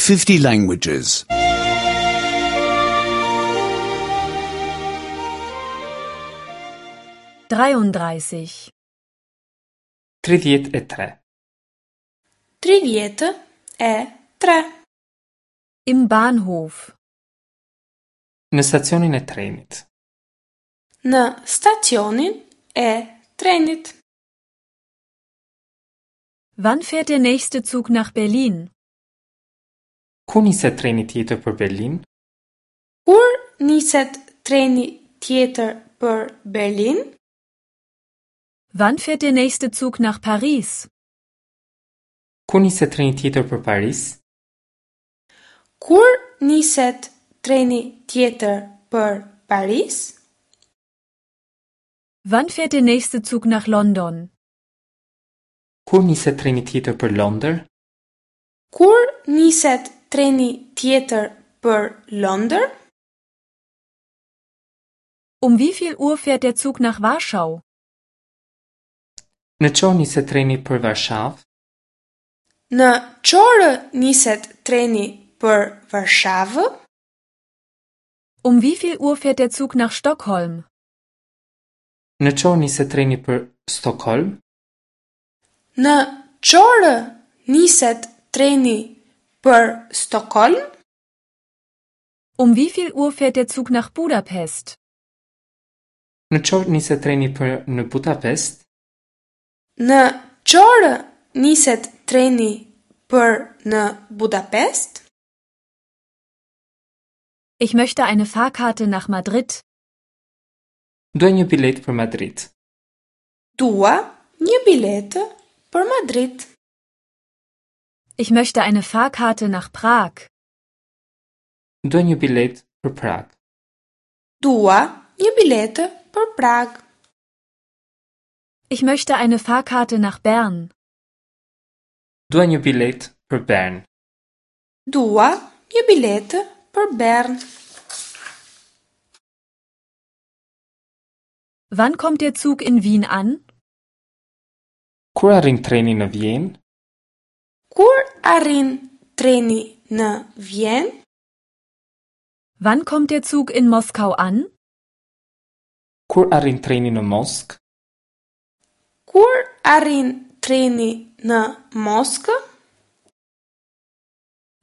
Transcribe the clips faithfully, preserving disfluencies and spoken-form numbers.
fifty languages. dreiunddreißig tridhjetë e tre. Tridhjetë e tre. Im Bahnhof. Në stacionin e trenit. Në stacionin e trenit. Wann fährt der nächste Zug nach Berlin? Kur niset treni tjetër për Berlin? Kur niset treni tjetër për Berlin? Wann fährt der nächste Zug nach Paris? Kur niset treni tjetër për Paris? Kur niset treni tjetër për Paris? Wann fährt der nächste Zug nach London? Kur niset treni tjetër për Londër? Kur niset treni tjetër për Londër? Um wie viel Uhr fährt der Zug nach Warschau? Në ç'orë niset treni për Varshavë? Në ç'orë niset treni për Varshavë? Um wie viel Uhr fährt der Zug nach Stockholm? Në ç'orë niset treni për Stockholm? Në ç'orë niset treni për Stockholm? Um wie viel Uhr fährt der Zug nach Budapest? Në ç'orë niset treni për në Budapest? Në ç'orë niset treni për në Budapest? Ich möchte eine Fahrkarte nach Madrid. Dua një biletë për Madrid. Dua një biletë për Madrid. Ich möchte eine Fahrkarte nach Prag. Dua një biletë për Prag. Dua një biletë për Prag. Ich möchte eine Fahrkarte nach Bern. Dua një biletë për Bern. Dua një biletë për Bern. Wann kommt der Zug in Wien an? Kur arrin treni në Vjenë? Kur arrin treni në Vjenë? Wann kommt der Zug in Moskau an? Kur arrin treni në Moskë? Kur arrin treni në Moskë?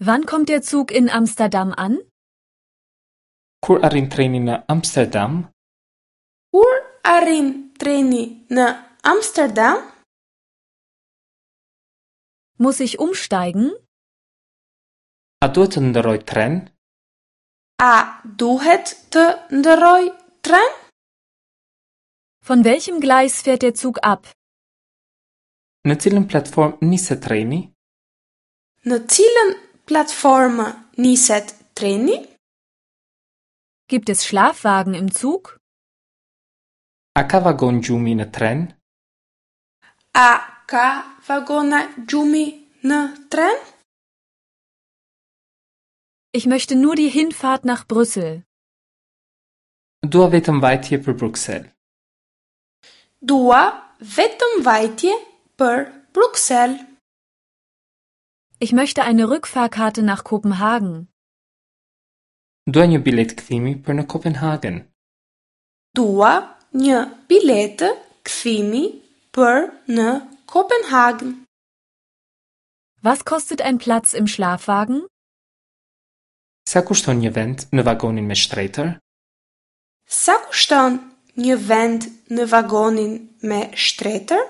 Wann kommt der Zug in Amsterdam an? Kur arrin treni në Amsterdam? Kur arrin treni në Amsterdam? Muss ich umsteigen? A duhet të ndërroj tren? A duhet të ndërroj tren? Von welchem Gleis fährt der Zug ab? Në cilën platformë niset treni? Në cilën platformë niset treni? Gibt es Schlafwagen im Zug? A ka vagon gjumi në tren? A ka vagona gjumi në tren? Ich möchte nur die Hinfahrt nach Brüssel. Dua vetëm vajtje për Bruksel. Dua vetëm vajtje për Bruksel. Ich möchte eine Rückfahrkarte nach Kopenhagen. Dua një biletë kthimi për në Kopenhagen. Dua një biletë kthimi për në Kopenhagen. Was kostet ein Platz im Schlafwagen? Sa kushton një vend në vagonin me shtretër? Sa kushton një vend në vagonin me shtretër?